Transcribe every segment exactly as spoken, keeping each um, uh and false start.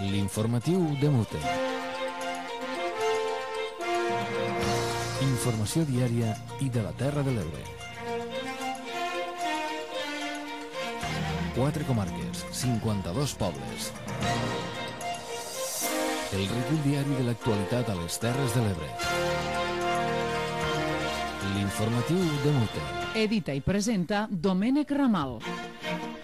L'informatiu de Mute. Informació diària i de la Terra de l'Ebre. Quatre comarques, cinquanta-dos pobles. El recull diari de l'actualitat a les Terres de l'Ebre. L'informatiu de Mute. Edita i presenta Domènec Ramal.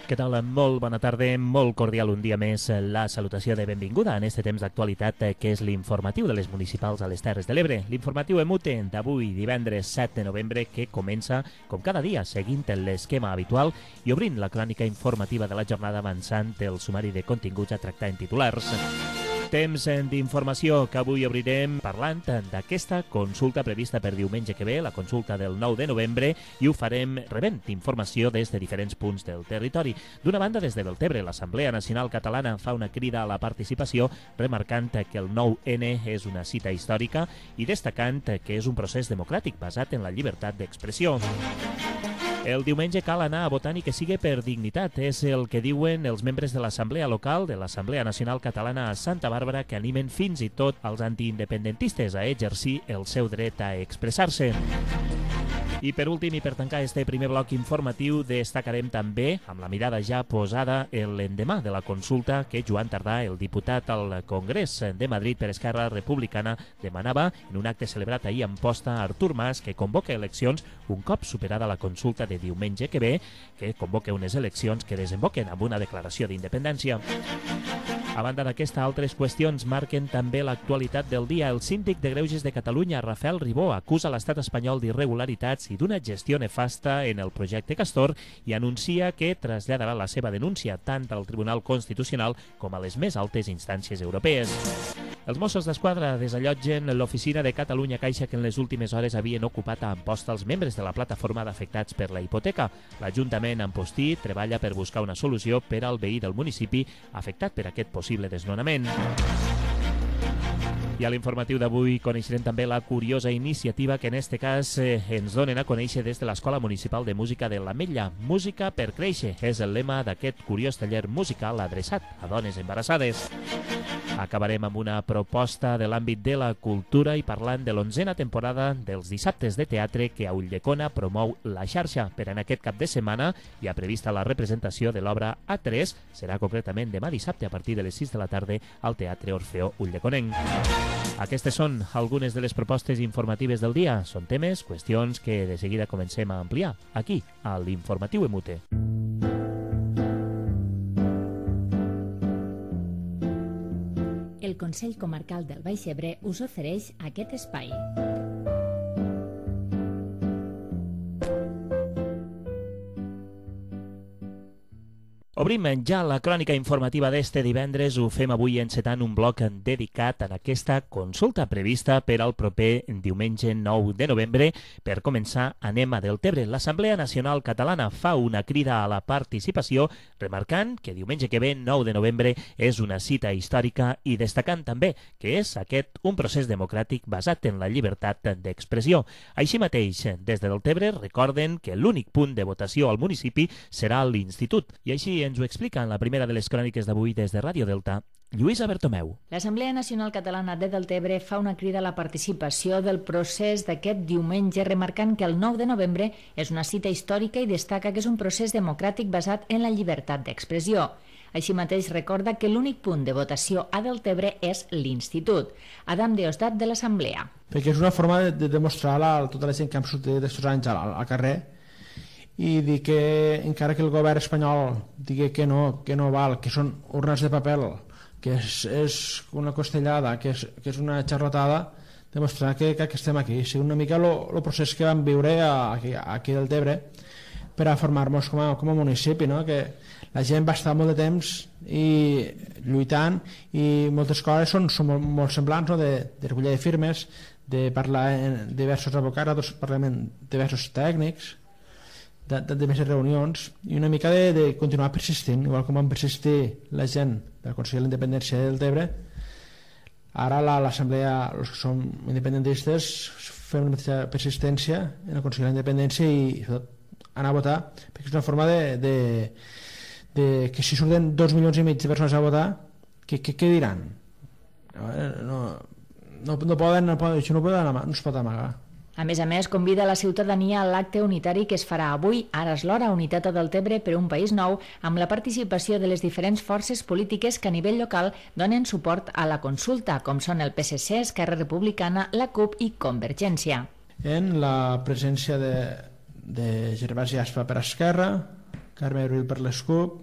Què tal? Molt bona tarda, molt cordial un dia més la salutació de benvinguda en este temps d'actualitat que és l'informatiu de les municipals a les Terres de l'Ebre. L'informatiu Emute d'avui, divendres set de novembre, que comença, com cada dia, seguint l'esquema habitual i obrint la crònica informativa de la jornada avançant el sumari de continguts a tractar en titulars. Temps d'informació que avui obrirem parlant d'aquesta consulta prevista per diumenge que ve, la consulta del nou de novembre, i ho farem rebent informació des de diferents punts del territori. D'una banda, des de Deltebre, l'Assemblea Nacional Catalana fa una crida a la participació, remarcant que el nou ene és una cita històrica i destacant que és un procés democràtic basat en la llibertat d'expressió. El diumenge cal anar a votar i que sigui per dignitat. És el que diuen els membres de l'Assemblea Local de l'Assemblea Nacional Catalana a Santa Bàrbara, que animen fins i tot als antiindependentistes a exercir el seu dret a expressar-se. I per últim, i per tancar este primer bloc informatiu, destacarem també, amb la mirada ja posada, l'endemà de la consulta que Joan Tardà, el diputat al Congrés de Madrid per Esquerra Republicana, demanava en un acte celebrat ahir a Amposta a Artur Mas, que convoca eleccions un cop superada la consulta de diumenge que ve, que convoca unes eleccions que desemboquen amb una declaració d'independència. A banda d'aquesta, altres qüestions marquen també l'actualitat del dia. El síndic de Greuges de Catalunya, Rafael Ribó, acusa l'estat espanyol d'irregularitats i d'una gestió nefasta en el projecte Castor i anuncia que traslladarà la seva denúncia tant al Tribunal Constitucional com a les més altes instàncies europees. Els Mossos d'Esquadra desallotgen l'oficina de Catalunya Caixa que en les últimes hores havien ocupat a Amposta els membres de la plataforma d'afectats per la hipoteca. L'Ajuntament Ampostí treballa per buscar una solució per al veí del municipi afectat per aquest possible desnonament. I a l'informatiu d'avui coneixerem també la curiosa iniciativa que en este cas eh, ens donen a conèixer des de l'Escola Municipal de Música de l'Ametlla. Música per créixer és el lema d'aquest curiós taller musical adreçat a dones embarassades. Acabarem amb una proposta de l'àmbit de la cultura i parlant de l'onzena temporada dels dissabtes de teatre que a Ulldecona promou la xarxa. Per en aquest cap de setmana hi ha prevista la representació de l'obra A tres, serà concretament demà dissabte a partir de les sis de la tarda al Teatre Orfeó Ulldeconenc. Aquestes són algunes de les propostes informatives del dia. Són temes, qüestions que de seguida comencem a ampliar aquí, a l'Informatiu Emute. El Consell Comarcal del Baix Ebre us ofereix aquest espai. Obrim ja la crònica informativa d'este divendres. Ho fem avui encetant un bloc dedicat a aquesta consulta prevista per al proper diumenge nou de novembre. Per començar, anem a Deltebre. L'Assemblea Nacional Catalana fa una crida a la participació, remarcant que diumenge que ve, nou de novembre, és una cita històrica i destacant també que és aquest un procés democràtic basat en la llibertat d'expressió. Així mateix, des de Deltebre recorden que l'únic punt de votació al municipi serà l'Institut. I així ens ho explica en la primera de les cròniques d'avui des de Ràdio Delta, Lluïsa Bertomeu. L'Assemblea Nacional Catalana de Deltebre fa una crida a la participació del procés d'aquest diumenge, remarcant que el nou de novembre és una cita històrica i destaca que és un procés democràtic basat en la llibertat d'expressió. Així mateix recorda que l'únic punt de votació a Deltebre és l'Institut. Adam Deosdat, de l'Assemblea. Perquè és una forma de, de demostrar a tota la gent que hem sortit d'aquests anys al, al carrer i dir que encara que el govern espanyol digui que no, que no val, que són urnes de paper, que és, és una costellada, que és, que és una xarratada, demostrar que, que estem aquí. És una mica el procés que vam viure aquí, aquí del Deltebre per a formar-nos com, com a municipi, no? Que la gent va estar molt de temps i lluitant i moltes coses són, són molt, molt semblants, no? de, de recollir de firmes, de parlar amb diversos advocats, parlar amb diversos tècnics, de, de, de més reunions i una mica de, de continuar persistint, igual com van persistir la gent del Consell de l'Independència del Deltebre. Ara l'Assemblea, els que som independentistes, fem una mateixa persistència en el Consell de l'Independència i sobretot anar a votar, perquè és una forma de, de, de que si surten dos milions i mig de persones a votar, què, què, què diran? No, no, no poden, no poden, això no, poden, no es pot amagar. A més a més, convida la ciutadania a l'acte unitari que es farà avui, ara és l'hora, Unitat a Deltebre per un país nou, amb la participació de les diferents forces polítiques que a nivell local donen suport a la consulta, com són el P S C, Esquerra Republicana, la C U P i Convergència. En la presència de, de Gervasi Aspa per Esquerra, Carme Abril per les C U P,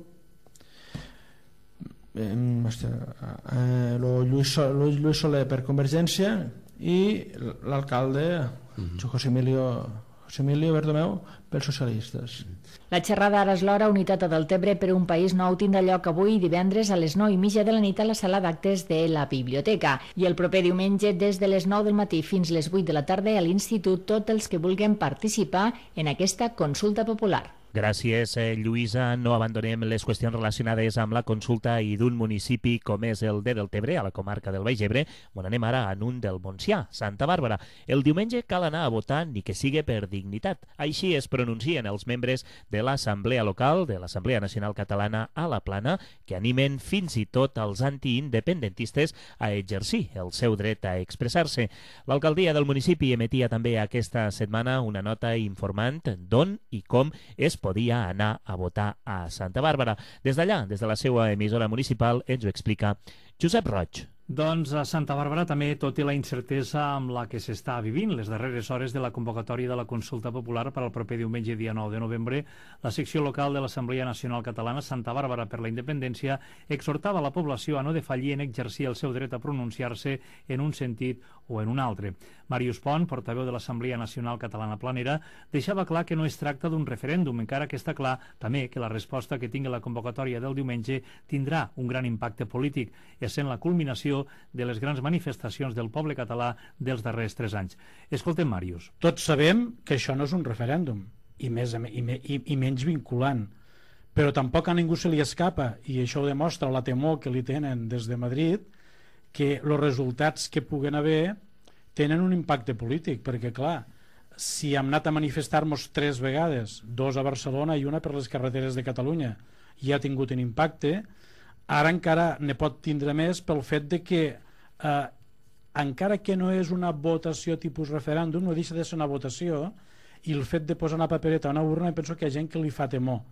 eh, Lluís, Lluís Soler per Convergència i l'alcalde José Emilio, José Emilio Bertomeu pels socialistes. La xerrada Ara és l'hora, Unitat a Deltebre per un país nou tindrà lloc avui divendres a les nou i mitja de la nit a la sala d'actes de la biblioteca i el proper diumenge des de les nou del matí fins les vuit de la tarda a l'Institut tots els que vulguin participar en aquesta consulta popular. Gràcies, eh, Lluïsa. No abandonem les qüestions relacionades amb la consulta i d'un municipi com és el de Deltebre, a la comarca del Baix Ebre, on anem ara en un del Montsià, Santa Bàrbara. El diumenge cal anar a votar ni que sigui per dignitat. Així es pronuncien els membres de l'Assemblea Local, de l'Assemblea Nacional Catalana a la Plana, que animen fins i tot els antiindependentistes a exercir el seu dret a expressar-se. L'alcaldia del municipi emetia també aquesta setmana una nota informant d'on i com es podia anar a votar a Santa Bàrbara. Des d'allà, des de la seva emissora municipal, ens ho explica Josep Roig. Doncs a Santa Bàrbara també, tot i la incertesa amb la que s'està vivint les darreres hores de la convocatòria de la consulta popular per al proper diumenge dia nou de novembre, la secció local de l'Assemblea Nacional Catalana Santa Bàrbara per la Independència exhortava la població a no defallir en exercir el seu dret a pronunciar-se en un sentit o en un altre. Màrius Pont, portaveu de l'Assemblea Nacional Catalana Planera, deixava clar que no es tracta d'un referèndum, encara que està clar també que la resposta que tingui la convocatòria del diumenge tindrà un gran impacte polític, essent la culminació de les grans manifestacions del poble català dels darrers tres anys. Escoltem, Màrius. Tots sabem que això no és un referèndum, i, més, i, i, i menys vinculant, però tampoc a ningú se li escapa, i això ho demostra la temor que li tenen des de Madrid, que els resultats que puguen haver tenen un impacte polític, perquè clar, si hem anat a manifestar-nos tres vegades, dos a Barcelona i una per les carreteres de Catalunya, i ha tingut un impacte, ara encara ne pot tindre més pel fet de que eh, encara que no és una votació tipus referèndum, no deixa de ser una votació, i el fet de posar una papereta a una urna, penso que hi ha gent que li fa temor.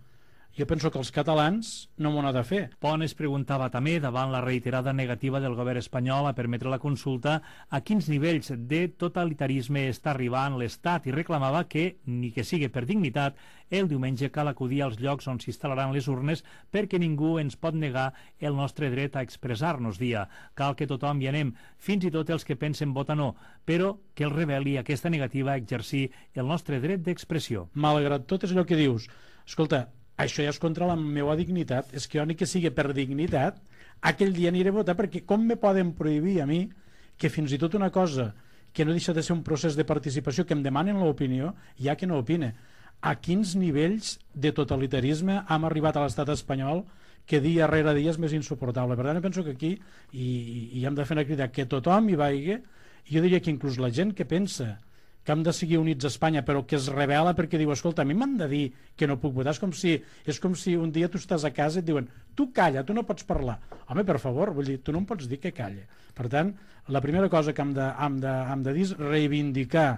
Jo penso que els catalans no m'ho han de fer. Pont es preguntava també, davant la reiterada negativa del govern espanyol a permetre la consulta, a quins nivells de totalitarisme està arribant l'Estat, i reclamava que, ni que sigui per dignitat, el diumenge cal acudir als llocs on s'instal·laran les urnes perquè ningú ens pot negar el nostre dret a expressar-nos, dia. Cal que tothom hi anem, fins i tot els que pensen votar no, però que el reveli aquesta negativa a exercir el nostre dret d'expressió. Malgrat tot és allò que dius, escolta, això ja és contra la meva dignitat, és que jo ni que sigui per dignitat, aquell dia aniré a votar, perquè com me poden prohibir a mi que fins i tot una cosa que no deixa de ser un procés de participació que em demanen l'opinió, ja que no opine. A quins nivells de totalitarisme hem arribat a l'estat espanyol que dia rere dia és més insuportable. Per tant, penso que aquí i, i hem de fer una crida que tothom hi vagi, i jo diria que inclús la gent que pensa que hem de seguir units a Espanya, però que es revela perquè diu, escolta, a mi m'han de dir que no puc votar. És com si, és com si un dia tu estàs a casa i et diuen, tu calla, tu no pots parlar. Home, per favor, vull dir, tu no em pots dir que calla. Per tant, la primera cosa que hem de, hem de, hem de dir és reivindicar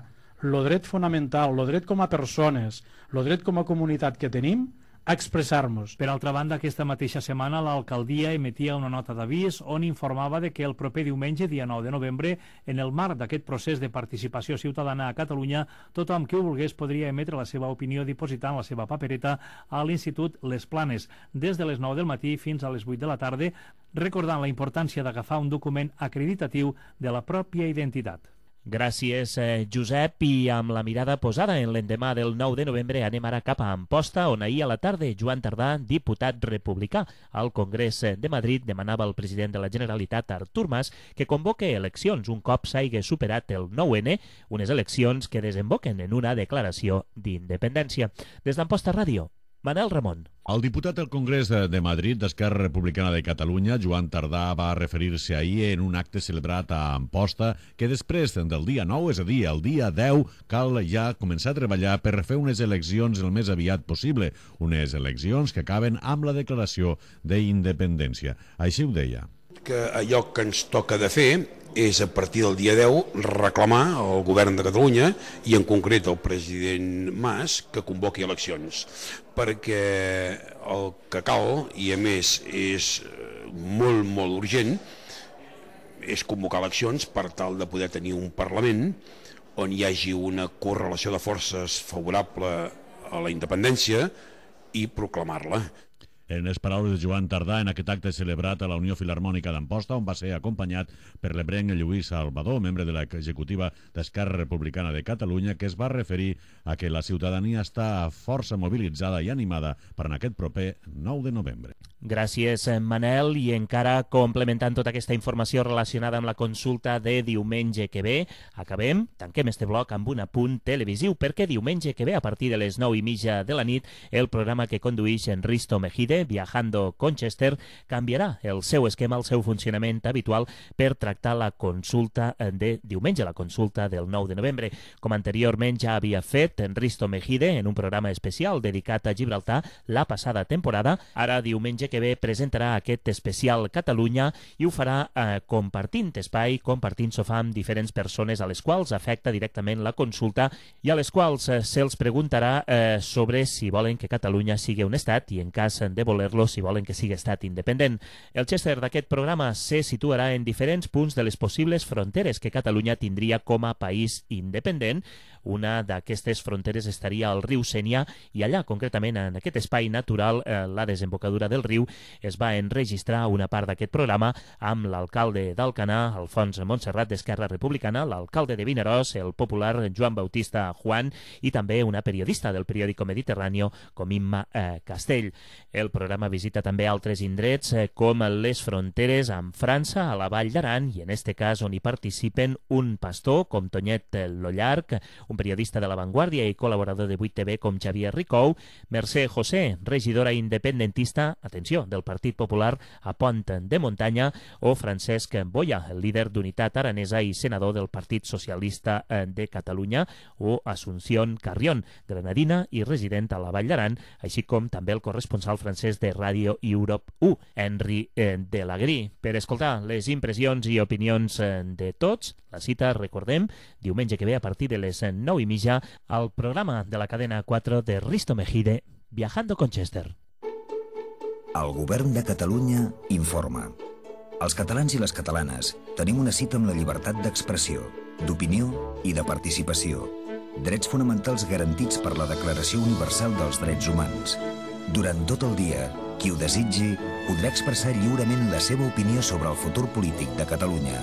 el dret fonamental, el dret com a persones, el dret com a comunitat que tenim, a expressar-nos. Per altra banda, aquesta mateixa setmana l'alcaldia emetia una nota d'avís on informava de que el proper diumenge, dia nou de novembre, en el marc d'aquest procés de participació ciutadana a Catalunya, tothom que ho volgués podria emetre la seva opinió dipositant la seva papereta a l'Institut Les Planes, des de les nou del matí fins a les vuit de la tarda, recordant la importància d'agafar un document acreditatiu de la pròpia identitat. Gràcies, eh, Josep, i amb la mirada posada en l'endemà del nou de novembre anem ara cap a Amposta, on ahir a la tarda Joan Tardà, diputat republicà al Congrés de Madrid, demanava al president de la Generalitat, Artur Mas, que convoque eleccions un cop s'hagi superat el nou ene, unes eleccions que desemboquen en una declaració d'independència. Des d'Amposta Ràdio, Manel Ramon. El diputat al Congrés de Madrid d'Esquerra Republicana de Catalunya, Joan Tardà, va referir-se ahir en un acte celebrat a Amposta que després del dia nou, és a dir, el dia deu, cal ja començar a treballar per fer unes eleccions el més aviat possible, unes eleccions que acaben amb la declaració d'independència. Així ho deia. que allò que ens toca de fer és a partir del dia deu reclamar al govern de Catalunya i en concret al president Mas que convoqui eleccions, perquè el que cal, i a més és molt molt urgent, és convocar eleccions per tal de poder tenir un Parlament on hi hagi una correlació de forces favorable a la independència i proclamar-la. En les paraules de Joan Tardà en aquest acte celebrat a la Unió Filharmònica d'Amposta, on va ser acompanyat per l'ebrenc Lluís Salvador, membre de l'executiva d'Esquerra Republicana de Catalunya, que es va referir a que la ciutadania està força mobilitzada i animada per en aquest proper nou de novembre. Gràcies, Manel. I encara complementant tota aquesta informació relacionada amb la consulta de diumenge que ve, acabem, tanquem este bloc amb un apunt televisiu, perquè diumenge que ve, a partir de les nou i mitja de la nit, el programa que conduïx en Risto Mejide, Viajando Conchester, canviarà el seu esquema, el seu funcionament habitual per tractar la consulta de diumenge, la consulta del nou de novembre. Com anteriorment ja havia fet en Risto Mejide en un programa especial dedicat a Gibraltar la passada temporada, ara diumenge que ve presentarà aquest especial Catalunya i ho farà eh, compartint espai, compartint sofà amb diferents persones a les quals afecta directament la consulta i a les quals eh, se'ls preguntarà eh, sobre si volen que Catalunya sigui un estat i en cas de voler-lo si volen que sigui estat independent. El Chester d'aquest programa se situarà en diferents punts de les possibles fronteres que Catalunya tindria com a país independent. Una d'aquestes fronteres estaria al riu Sénia i allà, concretament en aquest espai natural, eh, la desembocadura del riu, es va enregistrar una part d'aquest programa amb l'alcalde d'Alcanar, Alfons Montserrat d'Esquerra Republicana, l'alcalde de Vinaròs, el popular Joan Bautista Juan i també una periodista del periòdico Mediterráneo com Imma eh, Castell. El programa visita també altres indrets eh, com les fronteres amb França, a la Vall d'Aran, i en este cas on hi participen un pastor com Tonyet Lollarc, un periodista de La Vanguardia i col·laborador de vuit T V com Xavier Ricou, Mercè José, regidora independentista, atenció, del Partit Popular a Pont de Muntanya, o Francesc Boya, el líder d'Unitat Aranesa i senador del Partit Socialista de Catalunya, o Asunción Carrión, granadina i resident a la Vall d'Aran, així com també el corresponsal francès de Radio Europe u, Henri Delagrí. Per escoltar les impressions i opinions de tots, la cita, recordem, diumenge que ve a partir de les nou i mitja al programa de la cadena quatre de Risto Mejide, Viajando Conchester. El govern de Catalunya informa. Els catalans i les catalanes tenim una cita amb la llibertat d'expressió, d'opinió i de participació. Drets fonamentals garantits per la Declaració Universal dels Drets Humans. Durant tot el dia, qui ho desitgi podrà expressar lliurement la seva opinió sobre el futur polític de Catalunya.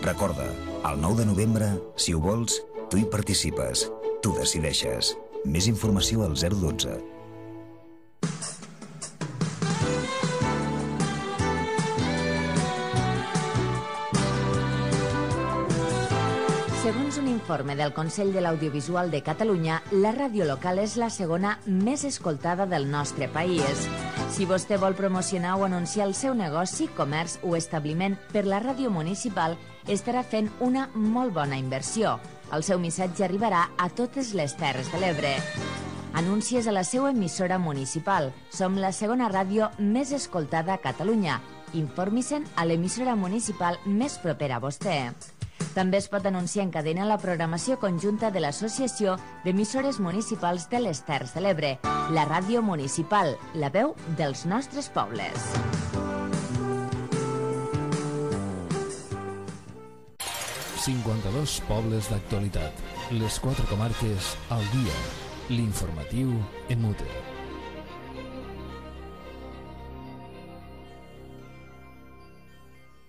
Recorda, el nou de novembre, si ho vols, tu hi participes, tu decideixes. Més informació al zero dotze. Segons un informe del Consell de l'Audiovisual de Catalunya, la ràdio local és la segona més escoltada del nostre país. Si vostè vol promocionar o anunciar el seu negoci, comerç o establiment per la ràdio municipal, estarà fent una molt bona inversió. El seu missatge arribarà a totes les Terres de l'Ebre. Anuncies a la seva emissora municipal. Som la segona ràdio més escoltada a Catalunya. Informi-se'n a l'emissora municipal més propera a vostè. També es pot anunciar en cadena la programació conjunta de l'Associació d'Emissores Municipals de les Terres de l'Ebre, la ràdio municipal, la veu dels nostres pobles. cinquanta-dos pobles d'actualitat. Les quatre comarques al dia. L'informatiu en mute.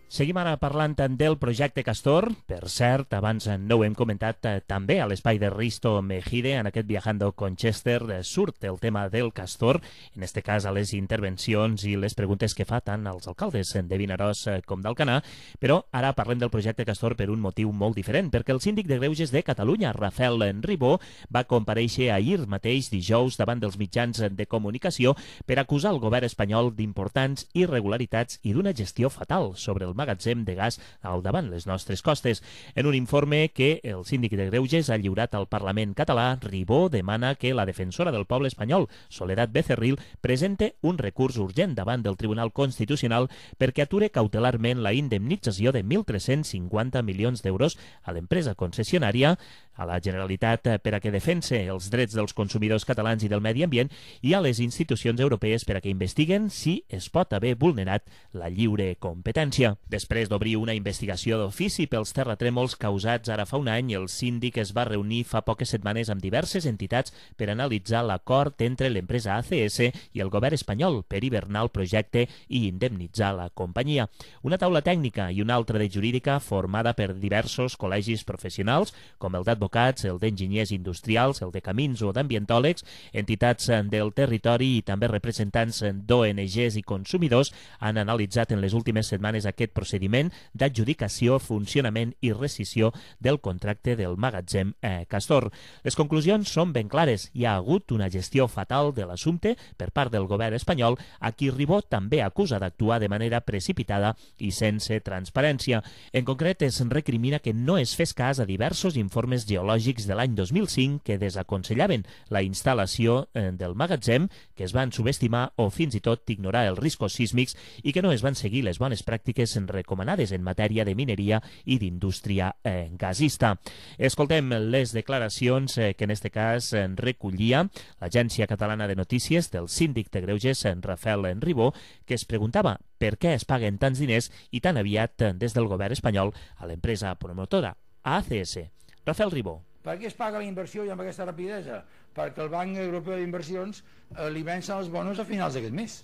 Seguim ara parlant del projecte Castor. Per cert, abans no ho hem comentat eh, també a l'espai de Risto Mejide, en aquest Viajando Conchester, eh, surt el tema del Castor, en este cas a les intervencions i les preguntes que fa tant als alcaldes de Vinaròs eh, com d'Alcanar, però ara parlem del projecte Castor per un motiu molt diferent, perquè el síndic de Greuges de Catalunya, Rafael Ribó, va comparèixer ahir mateix, dijous, davant dels mitjans de comunicació per acusar el govern espanyol d'importants irregularitats i d'una gestió fatal sobre el magatzem de gas al davant les nostres costes. En un informe que el síndic de Greuges ha lliurat al Parlament català, Ribó demana que la defensora del poble espanyol, Soledad Becerril, presente un recurs urgent davant del Tribunal Constitucional perquè ature cautelarment la indemnització de mil tres-cents cinquanta milions d'euros a l'empresa concessionària, a la Generalitat per a que defense els drets dels consumidors catalans i del medi ambient i a les institucions europees per a que investiguen si es pot haver vulnerat la lliure competència. Després d'obrir una investigació d'ofici pels terratrèmols causats ara fa un any, el síndic es va reunir fa poques setmanes amb diverses entitats per analitzar l'acord entre l'empresa A C S i el govern espanyol per hivernar el projecte i indemnitzar la companyia. Una taula tècnica i una altra de jurídica formada per diversos col·legis professionals, com el d'advocats, el d'enginyers industrials, el de camins o d'ambientòlegs, entitats del territori i també representants d'O N Ges i consumidors, han analitzat en les últimes setmanes aquest procediment d'adjudicació, funcionament i rescissió del contracte del magatzem eh, Castor. Les conclusions són ben clares. Hi ha hagut una gestió fatal de l'assumpte per part del govern espanyol, a qui Ribó també acusa d'actuar de manera precipitada i sense transparència. En concret, es recrimina que no es fes cas a diversos informes geològics de l'any dos mil cinc que desaconsellaven la instal·lació eh, del magatzem, que es van subestimar o fins i tot ignorar els riscos sísmics i que no es van seguir les bones pràctiques recomanades en matèria de mineria i d'indústria eh, gasista. Escoltem les declaracions eh, que en aquest cas eh, recollia l'Agència Catalana de Notícies del síndic de Greuges, en Rafael Ribó, que es preguntava per què es paguen tants diners i tan aviat eh, des del govern espanyol a l'empresa promotora A C S. Rafael Ribó. Per què es paga la inversió i amb aquesta rapidesa? Perquè el Banc Europeu d'Inversions eh, li vencen els bonos a finals d'aquest mes.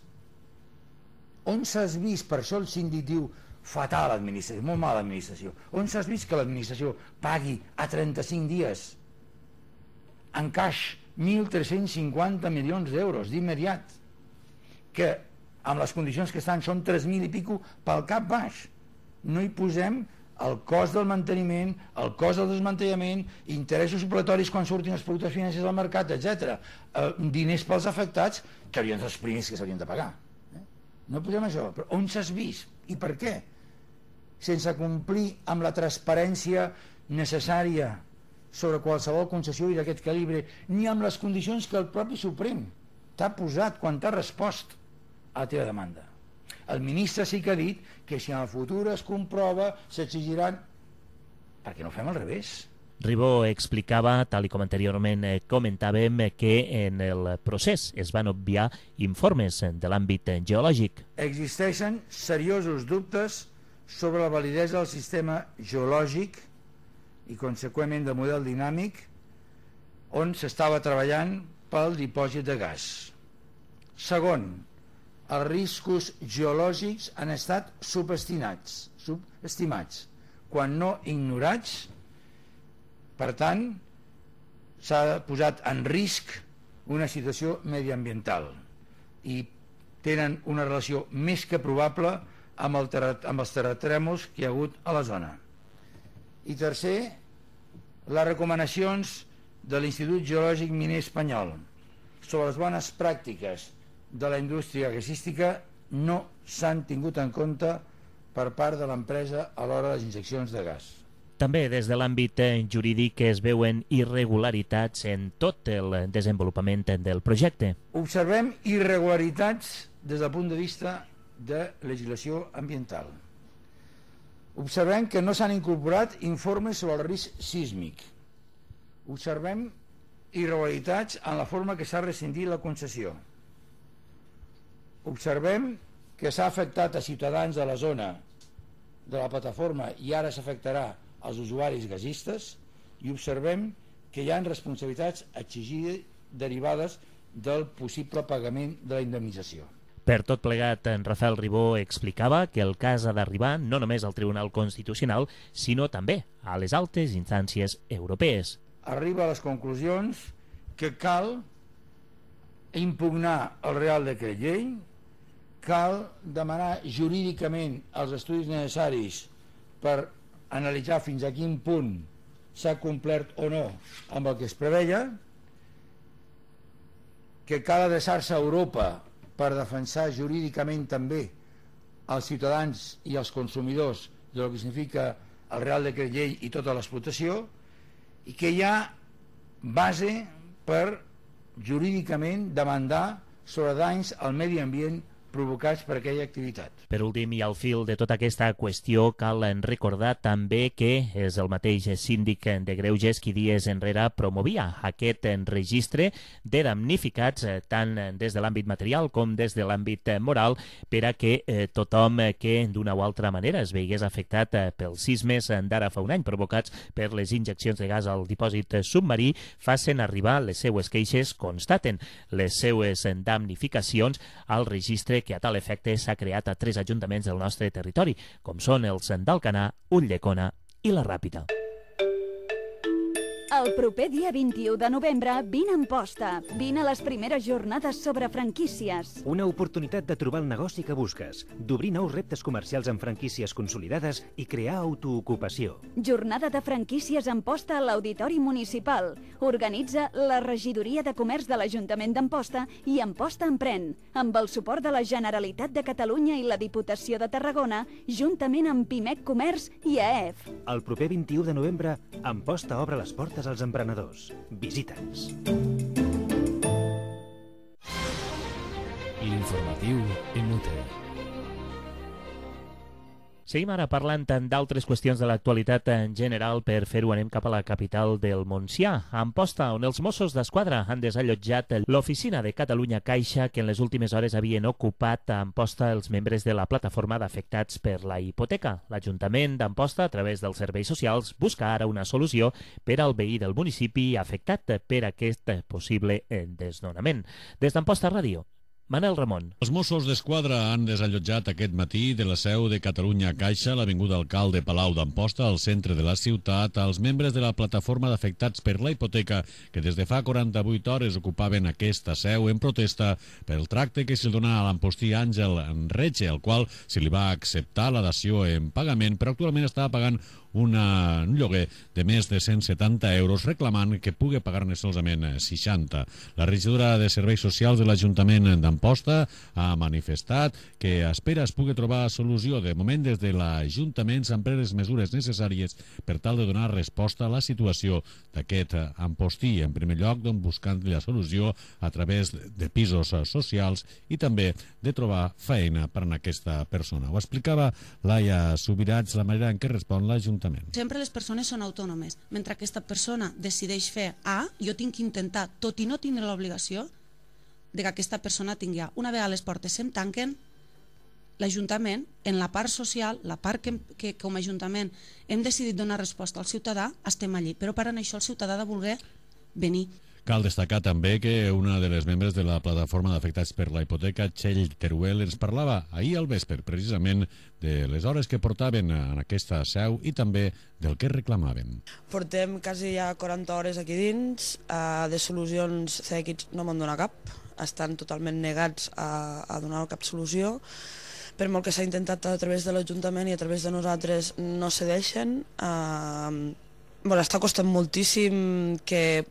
On s'has vist, per això el síndic diu fatal administració, molt mala administració, on s'has vist que l'administració pagui a trenta-cinc dies en caix mil tres-cents cinquanta milions d'euros d'immediat, que amb les condicions que estan són tres mil i pico pel cap baix? No hi posem el cost del manteniment, el cost del desmantellament, interessos supletoris quan surtin els productes financers al mercat, etcètera. Eh, diners pels afectats, que haurien de ser els primers que s'haurien de pagar. Eh? No posem això, però on s'has vist? I per què? Sense complir amb la transparència necessària sobre qualsevol concessió i d'aquest calibre, ni amb les condicions que el propi Suprem t'ha posat quan t'ha respost a la teva demanda. El ministre sí que ha dit que si en el futur es comprova s'exigiran... Per què no fem al revés? Ribó explicava, tal i com anteriorment comentàvem, que en el procés es van obviar informes de l'àmbit geològic. Existeixen seriosos dubtes sobre la validesa del sistema geològic i conseqüentment del model dinàmic on s'estava treballant pel dipòsit de gas. Segon, els riscos geològics han estat subestimats, subestimats, quan no ignorats. Per tant, s'ha posat en risc una situació mediambiental i tenen una relació més que probable amb, el terra, amb els terratrèmols que hi ha hagut a la zona. I tercer, les recomanacions de l'Institut Geològic Miner Espanyol sobre les bones pràctiques de la indústria gasística no s'han tingut en compte per part de l'empresa a l'hora de les injeccions de gas. També des de l'àmbit jurídic es veuen irregularitats en tot el desenvolupament del projecte. Observem irregularitats des del punt de vista de legislació ambiental. Observem que no s'han incorporat informes sobre el risc sísmic. Observem irregularitats en la forma que s'ha rescindit la concessió. Observem que s'ha afectat a ciutadans de la zona de la plataforma i ara s'afectarà als usuaris gasistes, i observem que hi ha responsabilitats exigides derivades del possible pagament de la indemnització. Per tot plegat, en Rafael Ribó explicava que el cas ha d'arribar no només al Tribunal Constitucional, sinó també a les altes instàncies europees. Arriba a les conclusions que cal impugnar el Real Decret Llei, cal demanar jurídicament els estudis necessaris per analitzar fins a quin punt s'ha complert o no amb el que es preveia, que cal adreçar-se a Europa per defensar jurídicament també als ciutadans i als consumidors del que significa el Real Decret Llei i tota l'explotació, i que hi ha base per jurídicament demandar sobre danys al medi ambient provocats per aquella activitat. Per últim, i al fil de tota aquesta qüestió, cal recordar també que és el mateix síndic de Greuges qui dies enrere promovia aquest registre de damnificats tant des de l'àmbit material com des de l'àmbit moral per a que eh, tothom que d'una o altra manera es veigués afectat eh, pels sismes d'ara fa un any provocats per les injeccions de gas al dipòsit submarí facin arribar les seues queixes, constaten les seues damnificacions al registre que a tal efecte s'ha creat a tres ajuntaments del nostre territori, com són els d'Alcanar, Ulldecona i la Ràpita. El proper dia vint-i-u de novembre, vine a Amposta. Vine a les primeres jornades sobre franquícies. Una oportunitat de trobar el negoci que busques, d'obrir nous reptes comercials amb franquícies consolidades i crear autoocupació. Jornada de franquícies a Amposta a l'Auditori Municipal. Organitza la Regidoria de Comerç de l'Ajuntament d'Amposta i Amposta Emprèn, amb el suport de la Generalitat de Catalunya i la Diputació de Tarragona, juntament amb Pimec Comerç i A E F. El proper vint-i-u de novembre, Amposta obre les portes als emprenedors. Visita'ns. L'informatiu Emute. Seguim ara parlant d'altres qüestions de l'actualitat en general. Per fer-ho anem cap a la capital del Montsià, a Amposta, on els Mossos d'Esquadra han desallotjat l'oficina de Catalunya Caixa que en les últimes hores havien ocupat a Amposta els membres de la plataforma d'afectats per la hipoteca. L'Ajuntament d'Amposta, a través dels serveis socials, busca ara una solució per al veí del municipi afectat per aquest possible desnonament. Des d'Amposta Ràdio, Manel Ramon. Els Mossos d'Esquadra han desallotjat aquest matí de la seu de Catalunya Caixa, l'avinguda Alcalde Palau d'Amposta, al centre de la ciutat, als membres de la plataforma d'afectats per la hipoteca que des de fa quaranta-vuit hores ocupaven aquesta seu en protesta pel tracte que se'l dona a l'ampostí Àngel Enretxe, al qual se li va acceptar la dació en pagament, però actualment està pagant una, un lloguer de més de cent setanta euros, reclamant que pugui pagar-ne solament seixanta. La regidora de Serveis Socials de l'Ajuntament d'Amposta ha manifestat que espera es pugui trobar solució. De moment, des de l'Ajuntament s'han pres les mesures necessàries per tal de donar resposta a la situació d'aquest ampostí. En primer lloc, doncs, buscant la solució a través de pisos socials i també de trobar feina per a aquesta persona. Ho explicava Laia Subirats, la manera en què respon l'Ajuntament. Sempre les persones són autònomes. Mentre aquesta persona decideix fer A, jo tinc que intentar, tot i no tindre l'obligació, de que aquesta persona tingui A. Una vegada les portes se'm tanquen, l'Ajuntament, en la part social, la part que, que com a Ajuntament hem decidit donar resposta al ciutadà, estem allí. Però per això el ciutadà ha de voler venir. Cal destacar també que una de les membres de la plataforma d'afectats per la hipoteca, Txell Teruel, ens parlava ahir al vespre precisament de les hores que portaven en aquesta seu i també del que reclamaven. Portem quasi ja quaranta hores aquí dins, eh, de solucions C X no m'han donat cap, estan totalment negats a, a donar cap solució. Per molt que s'ha intentat a través de l'Ajuntament i a través de nosaltres no cedeixen. Eh, Bueno, està costant moltíssim que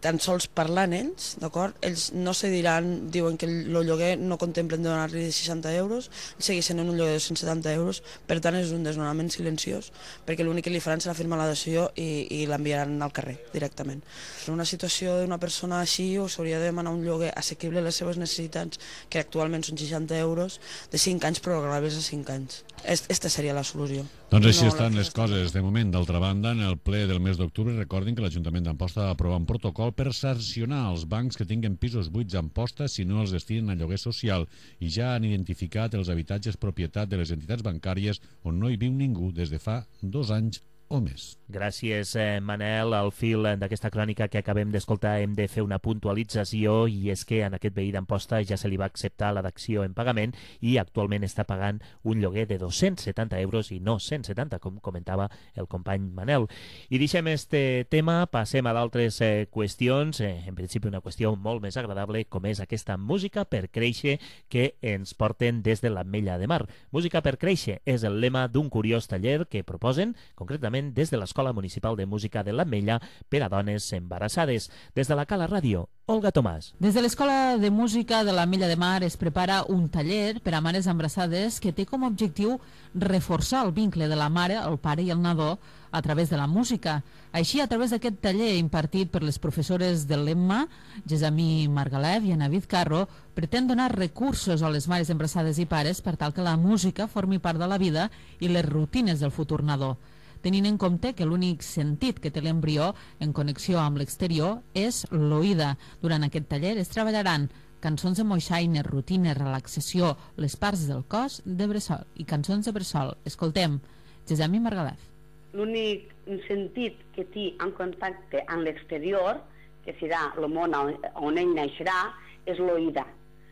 tan sols parlant ells, d'acord? Ells no se diran, diuen que el lloguer no contemplen donar-li seixanta euros, segueixen en un lloguer de cent setanta euros, per tant és un desnonament silenciós, perquè l'únic que li faran serà firmar la dació i, i l'enviaran al carrer directament. En una situació d'una persona així s'hauria de demanar un lloguer assequible a les seves necessitats, que actualment són seixanta euros, de cinc anys prorrogables a cinc anys. Aquesta seria la solució. Doncs així estan les coses de moment. D'altra banda, en el ple del mes d'octubre, recordin que l'Ajuntament d'Amposta va aprovar un protocol per sancionar els bancs que tinguen pisos buits a Amposta si no els destinen a lloguer social, i ja han identificat els habitatges propietat de les entitats bancàries on no hi viu ningú des de fa dos anys o més. Gràcies, eh, Manel. Al fil d'aquesta crònica que acabem d'escoltar hem de fer una puntualització, i és que en aquest veí d'Amposta ja se li va acceptar la dació en pagament i actualment està pagant un lloguer de dos-cents setanta euros i no cent setanta, com comentava el company Manel. I deixem este tema, passem a d'altres eh, qüestions, eh, en principi una qüestió molt més agradable, com és aquesta música per créixer que ens porten des de l'Ametlla de Mar. Música per créixer és el lema d'un curiós taller que proposen, concretament concretament des de l'Escola Municipal de Música de l'Ametlla per a dones embarassades. Des de la Cala Ràdio, Olga Tomàs. Des de l'Escola de Música de l'Ametlla de Mar es prepara un taller per a mares embarassades que té com a objectiu reforçar el vincle de la mare, el pare i el nadó a través de la música. Així, a través d'aquest taller impartit per les professores de l'Emma, Gesamí Margalef i Ana Vizcarro, pretén donar recursos a les mares embarassades i pares per tal que la música formi part de la vida i les rutines del futur nadó, tenint en compte que l'únic sentit que té l'embrió en connexió amb l'exterior és l'oïda. Durant aquest taller es treballaran cançons de moixaina, rutines, relaxació, les parts del cos de bressol i cançons de bressol. Escoltem, Gesamí Margalef. L'únic sentit que té en contacte amb l'exterior, que serà el món on ell naixerà, és l'oïda.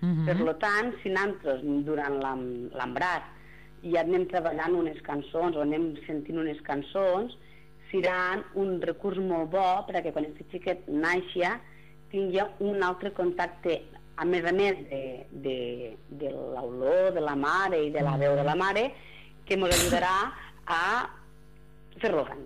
Uh-huh. Per tant, si nosaltres durant l'embaràs ja anem treballant unes cançons o anem sentint unes cançons, seran un recurs molt bo perquè quan aquest xiquet naixi tingui un altre contacte, a més a més de, de, de l'olor de la mare i de la veu de la mare, que ens ajudarà a fer-lo gran.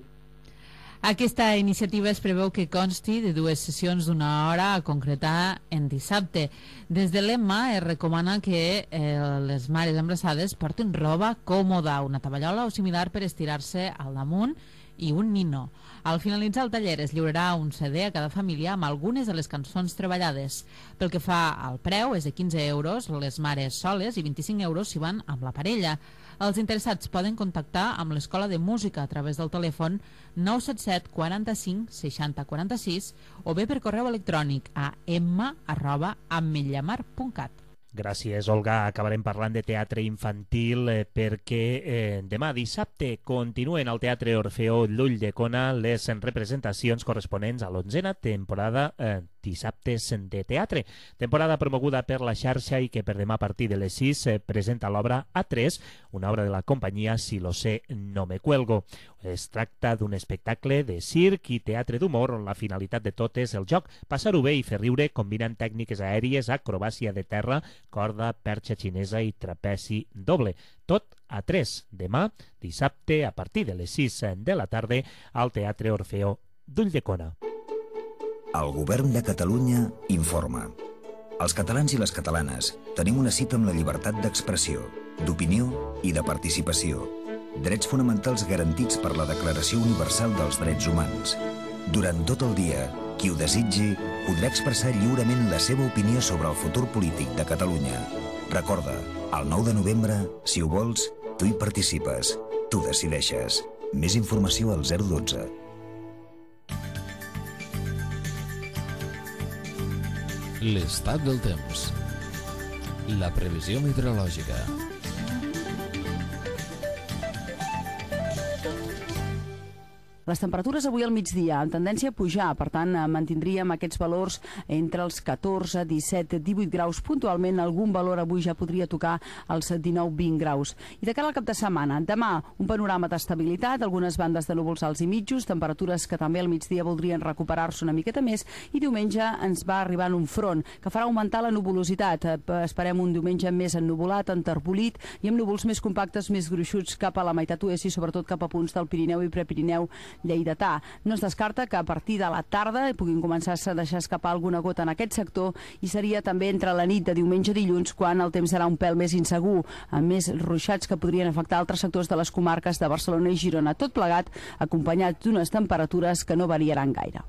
Aquesta iniciativa es preveu que consti de dues sessions d'una hora a concretar en dissabte. Des de l'Emma es recomana que eh, les mares embarassades portin roba còmoda, una tovallola o similar per estirar-se al damunt i un nino. Al finalitzar el taller es lliurarà un C D a cada família amb algunes de les cançons treballades. Pel que fa al preu, és de quinze euros les mares soles i vint-i-cinc euros si van amb la parella. Els interessats poden contactar amb l'Escola de Música a través del telèfon nou set set quaranta-cinc seixanta quaranta-sis o bé per correu electrònic a emma arroba ametllamar punt cat. Gràcies, Olga. Acabarem parlant de teatre infantil eh, perquè eh, demà dissabte continuen al Teatre Orfeó d'Ulldecona les representacions corresponents a l'onzena temporada eh, Dissabtes de Teatre, temporada promoguda per la xarxa i que per demà a partir de les sis eh, presenta l'obra A tres, una obra de la companyia Si lo sé, no me cuelgo. Es tracta d'un espectacle de circ i teatre d'humor on la finalitat de tot és el joc, passar-ho bé i fer riure combinant tècniques aèries, acrobàcia de terra, corda, perxa xinesa i trapezi doble. Tot a tres, demà, dissabte, a partir de les sis de la tarda, al Teatre Orfeó d'Ulldecona. El Govern de Catalunya informa. Els catalans i les catalanes tenim una cita amb la llibertat d'expressió, d'opinió i de participació. Drets fonamentals garantits per la Declaració Universal dels Drets Humans. Durant tot el dia, qui ho desitgi podrà expressar lliurement la seva opinió sobre el futur polític de Catalunya. Recorda, el nou de novembre, si ho vols, tu hi participes, tu decideixes. Més informació al zero dotze. L'estat del temps. La previsió meteorològica. Les temperatures avui al migdia en tendència a pujar, per tant mantindríem aquests valors entre els catorze, disset, divuit graus. Puntualment algun valor avui ja podria tocar els dinou vint graus. I de cara al cap de setmana, demà un panorama d'estabilitat, algunes bandes de núvols alts i mitjos, temperatures que també al migdia voldrien recuperar-se una miqueta més, i diumenge ens va arribant un front que farà augmentar la nuvolositat. Esperem un diumenge més ennuvolat, enterbolit i amb núvols més compactes, més gruixuts cap a la meitat oest i sobretot cap a punts del Pirineu i Prepirineu lleidatà. No es descarta que a partir de la tarda puguin començar a deixar escapar alguna gota en aquest sector i seria també entre la nit de diumenge a dilluns quan el temps serà un pèl més insegur, amb més ruixats que podrien afectar altres sectors de les comarques de Barcelona i Girona. Tot plegat acompanyat d'unes temperatures que no variaran gaire.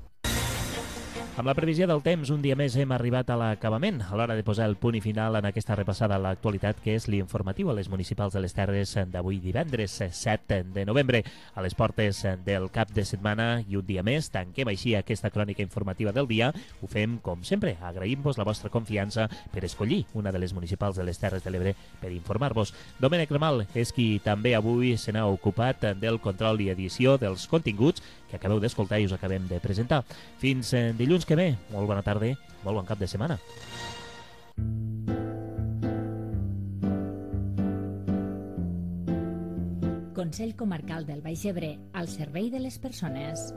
Amb la previsió del temps, un dia més hem arribat a l'acabament, a l'hora de posar el punt i final en aquesta repassada a l'actualitat que és l'informatiu a les municipals de les Terres d'avui divendres set de novembre. A les portes del cap de setmana i un dia més tanquem així aquesta crònica informativa del dia. Ho fem com sempre, agraïm-vos la vostra confiança per escollir una de les municipals de les Terres de l'Ebre per informar-vos. Domènec Ramal és qui també avui se n'ha ocupat del control i edició dels continguts que acabeu d'escoltar i us acabem de presentar. Fins dilluns que ve, molt bona tarda, molt bon cap de setmana. Consell Comarcal del Baix Ebre, al servei de les persones.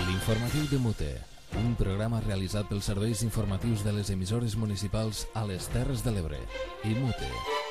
L'informatiu de Mute. un programa realitzat pels serveis informatius de les emissores municipals a les Terres de l'Ebre. I Mute.